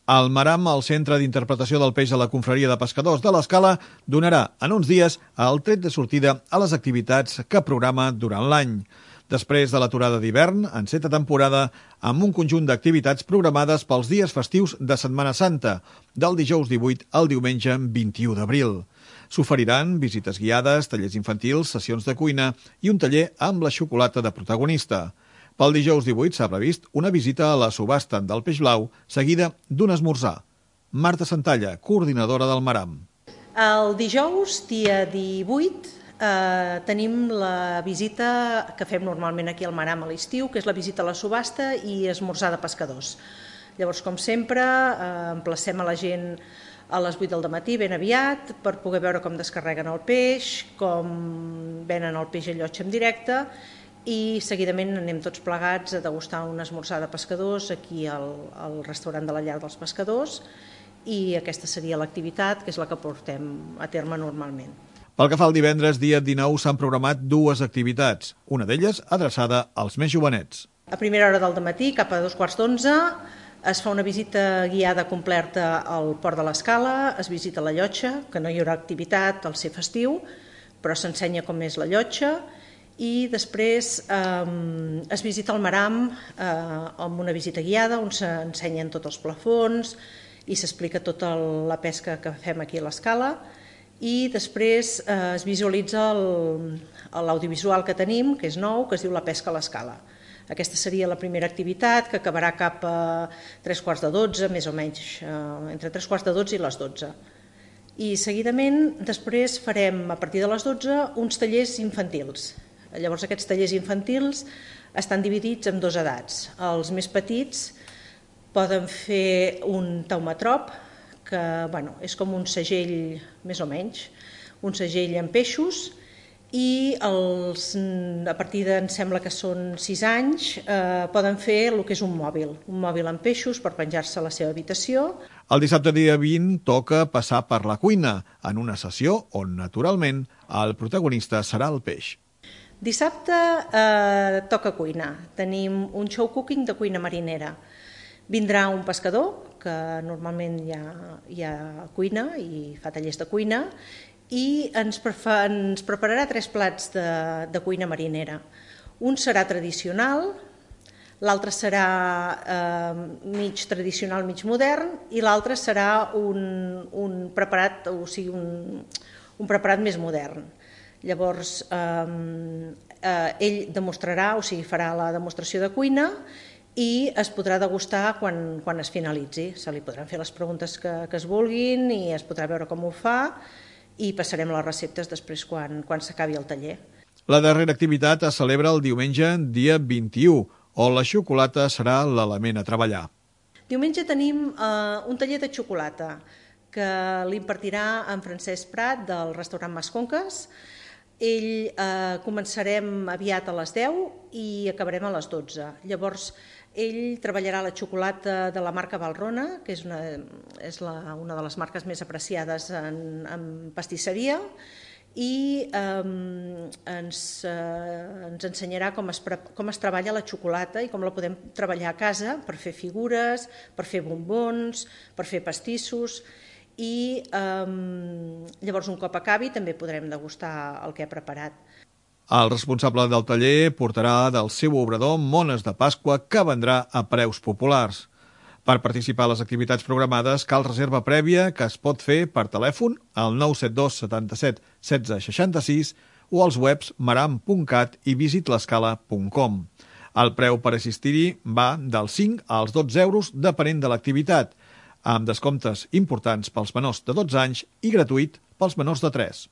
El Maram, el Centre d'Interpretació del Peix de la Confraria de Pescadors de l'Escala, donarà en uns dies el tret de sortida a les activitats que programa durant l'any. Després de l'aturada d'hivern, enceta temporada amb un conjunt d'activitats programades pels dies festius de Setmana Santa, del dijous 18 al diumenge 21 d'abril. S'oferiran visites guiades, tallers infantils, sessions de cuina i un taller amb la xocolata de protagonista. Pel dijous 18 s'ha previst una visita a la subhasta del peix blau, seguida d'un esmorzar. Marta Santalla, coordinadora del Maram. El dijous, dia 18, tenim la visita que fem normalment aquí al Maram a l'estiu, que és la visita a la subhasta i esmorzar de pescadors. Llavors, com sempre, emplacem a la gent a les 8 del matí, ben aviat, per poder veure com descarreguen el peix, com venen el peix a llotja en directe, i seguidament anem tots plegats a degustar un esmorzar de pescadors aquí al restaurant de la Llar dels Pescadors, i aquesta seria l'activitat, que és la que portem a terme normalment. Pel que fa al divendres, dia 19, s'han programat dues activitats, una d'elles adreçada als més jovenets. A primera hora del matí, cap a 11:15, es fa una visita guiada completa al Port de l'Escala, es visita la llotja, que no hi haurà activitat al ser festiu, però s'ensenya com és la llotja, i després es visita el Maram amb una visita guiada on s'ensenyen tots els plafons i s'explica tota la pesca que fem aquí a l'Escala, i després es visualitza l'audiovisual que tenim, que és nou, que es diu La pesca a l'Escala. Aquesta seria la primera activitat, que acabarà cap a 11:45, més o menys, entre 11:45 i les 12. I seguidament després farem, a partir de les 12, uns tallers infantils. Llavors aquests tallers infantils estan dividits en dues edats. Els més petits poden fer un taumatrop, que és com un segell, més o menys, un segell amb peixos, i a partir de, em sembla que són 6 anys, poden fer el que és un mòbil amb peixos per penjar-se a la seva habitació. El dissabte dia 20 toca passar per la cuina, en una sessió on, naturalment, el protagonista serà el peix. Dissabte toca cuina. Tenim un show cooking de cuina marinera. Vindrà un pescador, que normalment ja cuina i fa tallers de cuina, i ens prepararà 3 plats de cuina marinera. Un serà tradicional, l'altre serà mig tradicional, mig modern, i l'altre serà un preparat, o sigui, un preparat més modern. Llavors, ell demostrarà, o sigui, farà la demostració de cuina i es podrà degustar quan es finalitzi. Se li podran fer les preguntes que es vulguin i es podrà veure com ho fa, i passarem les receptes després quan s'acabi el taller. La darrera activitat es celebra el diumenge dia 21, on la xocolata serà l'element a treballar. Diumenge tenim un taller de xocolata que l'impartirà en Francesc Prat del restaurant Masconques. Començarem aviat a les 10 i acabarem a les 12. Llavors, ell treballarà la xocolata de la marca Valrhona, que és una de les marques més apreciades en pastisseria, i ens ensenyarà com es treballa la xocolata i com la podem treballar a casa per fer figures, per fer bombons, per fer pastissos, i llavors un cop acabi també podrem degustar el que ha preparat. El responsable del taller portarà del seu obrador mones de Pasqua que vendrà a preus populars. Per participar a les activitats programades cal reserva prèvia que es pot fer per telèfon al 972 77 16 66 o als webs maram.cat i visitlescala.com. El preu per assistir-hi va dels 5 als 12 euros depenent de l'activitat, amb descomptes importants pels menors de 12 anys i gratuït pels menors de 3.